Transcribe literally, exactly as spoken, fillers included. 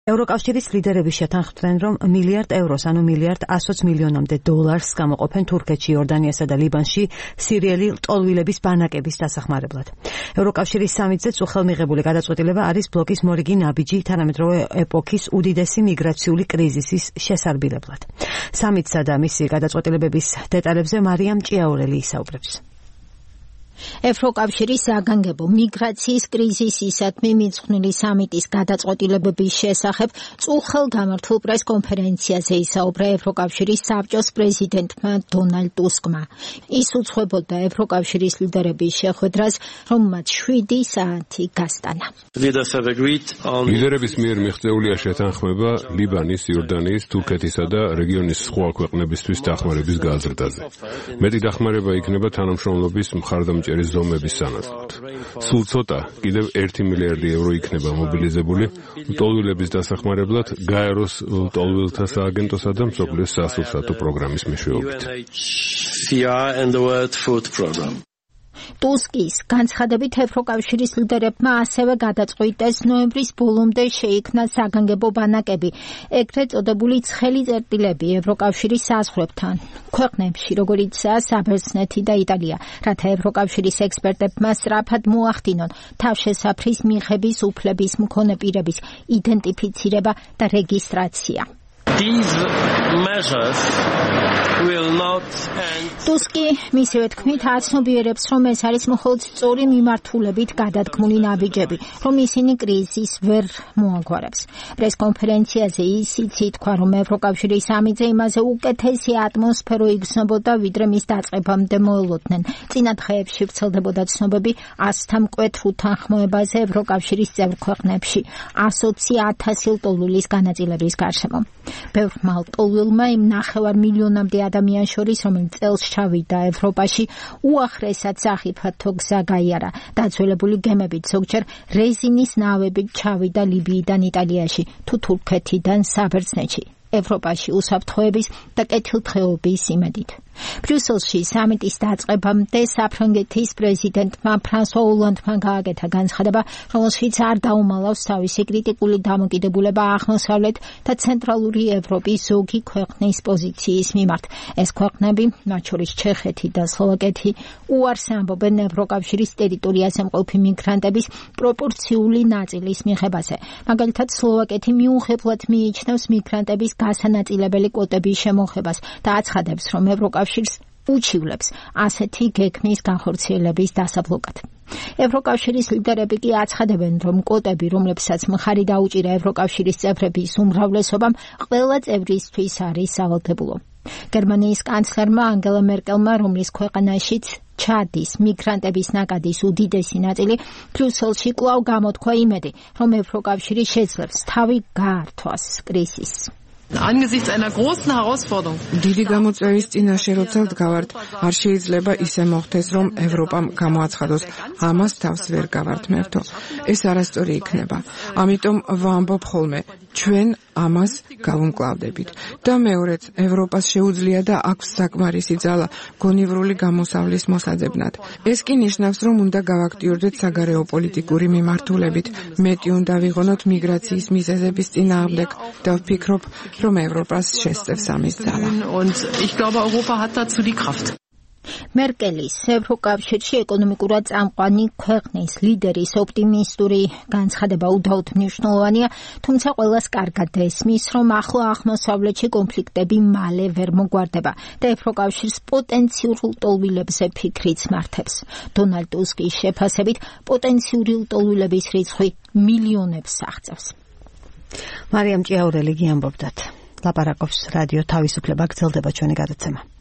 ევროკავშირის ლიდერები შეთანხმდნენ, რომ მილიარდ ევროს, ანუ მილიარდ ათი მილიონამდე დოლარს გამოყოფენ თურქეთში, იორდანიასა და ლიბანში სირიელი ლტოლვილების ბანაკების დასახმარებლად. ევროკავშირის სამიტზე უხელმიღებული გადაწყვეტილება არის ბლოკის მორიგი ნაბიჯი თანამედროვე ეპოქის უდიდესი მიგრაციული კრიზისის შესარბილებლად. სამიტსა და მისი გადაწყვეტილებების დეტალებზე მარიამ ჭიაურელი ისაუბრებს. ევროკავშირის საგანგებო მიგრაციის კრიზისისადმი მიძღვნილი სამიტის გადაწყვეტილებების შესახებ წუხელ გამართულ პრესკონფერენციაზე ისაუბრა ევროკავშირის საბჭოს პრეზიდენტმა დონალდ ტუსკმა. ის უძღვებოდა ევროკავშირის ლიდერების შეხვედრას, რომ მათ შვიდი საათი გასტანა. ლიდერების მიერ მიღწეულია შეთანხმება ლიბანის, იორდანიის, თურქეთისა და რეგიონის სხვა ქვეყნებისთვის დახმარების გაზრდაზე. მეტი დახმარება იქნება თანამშრომლობის მხარდამჭერების ზომების სანაცვლოდ. სულ ცოტა, კიდევ ერთი მილიარდი ევრო იქნება მობილიზებული ლტოლვილების დასახმარებლად გაეროს ლტოლვილთა სააგენტოსა და მსოფლიოს სასურსათო პროგრამის მეშვეობით. ტუსკის განცხადებით ევროკავშირის ლიდერებმა ასევე გადაწყვიტეს ნოემბრის ბოლომდე შეიქმნას საგანგებო ბანაკები, ეგრეთ წოდებული ცხელი წერტილები ევროკავშირის საზღვრებთან ქვეყნებში, როგორიცაა საბერძნეთი და იტალია, რათა ევროკავშირის ექსპერტებმა სწრაფად მოახდინონ თავშესაფრის მიღების უფლების მქონე პირების იდენტიფიცირება და რეგისტრაცია. ტუსკი მისივე თქმით აცნობიერებს, რომ ეს არის მხოლოდ სწორი მიმართულებით გადადგმული ნაბიჯები, რომ ისინი კრიზისს ვერ მოაგვარებს. პრესკონფერენციაზე ისიც ითქვა, რომ ევროკავშირის სამიტზე იმაზე უკეთესი ატმოსფერო იგრძნობოდა, ვიდრე მის დაწყებამდე მოელოდნენ. წინა დღეებში ვრცელდებოდა ცნობები ასთა მკვეთრ უთანხმოებაზე ევროკავშირის წევრ ქვეყნებში, ასოცი ათასი ლტოლვილის განაწილების გარშემო. ბევრმა ლტოლვილმა იმ ნახევარ მილიონამდე ადამიანს შორის, რომელიც წელს ჩავიდა ევროპაში, უახლესად სახიფათო გზა გაიარა. დაძველებული გემებით ზოგჯერ რეზინის ნავებით ჩავიდა ლიბიიდან იტალიაში თუ თურქეთიდან საბერძნეთში. ევროპაში უსაფრთხოების და კეთილდღეობის იმედით. ბრიუსელში სამიტის დაწყებამდე საფრანგეთის პრეზიდენტმა ფრანსუა ოლანდმა გააკეთა განცხადება, რომელშიც არ დაუმალავს თავისი კრიტიკული დამოკიდებულება აღმოსავლეთ და ცენტრალური ევროპის ზოგი ქვეყნის პოზიციის მიმართ. ეს ქვეყნები, მათ შორის ჩეხეთი და სლოვაკეთი, უარს ამბობენ ევროკავშირის ტერიტორიაზე მყოფი მიგრანტების პროპორციული ნაწილის მიღებაზე. მაგალითად, სლოვაკეთი მიუღებლად მიიჩნევს მიგრანტების გასანაწილებელი კვოტების შემოღებას და აცხადებს, რომ ევროკავშირის უჩივლებს ასეთი გეგმის განხორციელების დასაბლოკად. ევროკავშირის ლიდერები კი აცხადებენ, რომ კვოტები, რომლებსაც მხარი დაუჭირა ევროკავშირის წევრების უმრავლესობამ, ყველა წევრისთვის არის სავალდებულო. გერმანიის კანცლერმა ანგელა მერკელმა, რომლის ქვეყანაშიც ჩადის მიგრანტების ნაკადის უდიდესი ნაწილი, ბრიუსელში კვლავ გამოთქვა იმედი, რომ ევროკავშირი შეძლებს თავი გაართვას კრიზისს. Angesichts einer großen Herausforderung. დიდი გამოწვევის წინაშე როცა ვდგავართ, არ შეიძლება ისე მოხდეს, რომ ევროპამ გამოაცხადოს, ამას თავს ვერ გავართმევთო. ეს არასწორი იქნება. ამიტომ ვამბობ ხოლმე, ჩვენ ამას გავუმკლავდებით. და მეორეც, ევროპას შეუძლია და აქვს საკმარისი ძალა გონივრული გამოსავლის მოსაძებნად. ეს კი ნიშნავს, რომ უნდა გავაქტიურდეთ საგარეო პოლიტიკური მიმართულებით, მეტი უნდა ვიღონოთ მიგრაციის მიზეზების წინააღმდეგ და ვფიქრობ, რომ ევროპას შესწევს ამის ძალა. Und ich glaube, Europa hat dazu die Kraft. მერკელის ევროკავშირში ეკონომიკურად წამყვანი ქვეყნის ლიდერის ოპტიმისტური განცხადება უდაოდ მნიშვნელოვანია, თუმცა ყველას კარგად ესმის, რომ ახლო აღმოსავლეთში კონფლიქტები მალე ვერ მოგვარდება და ევროკავშირს პოტენციურ ლტოლვილებზე ფიქრიც მართებს. დონალდ ტუსკის შეფასებით, პოტენციური ლტოლვილების რიცხვი მილიონებს აღწევს. მარიამ ჭიაურელი გიამბობდათ. ლაპარაკობს რადიო თავისუფლება, გრძელდება ჩვენი გადაცემა.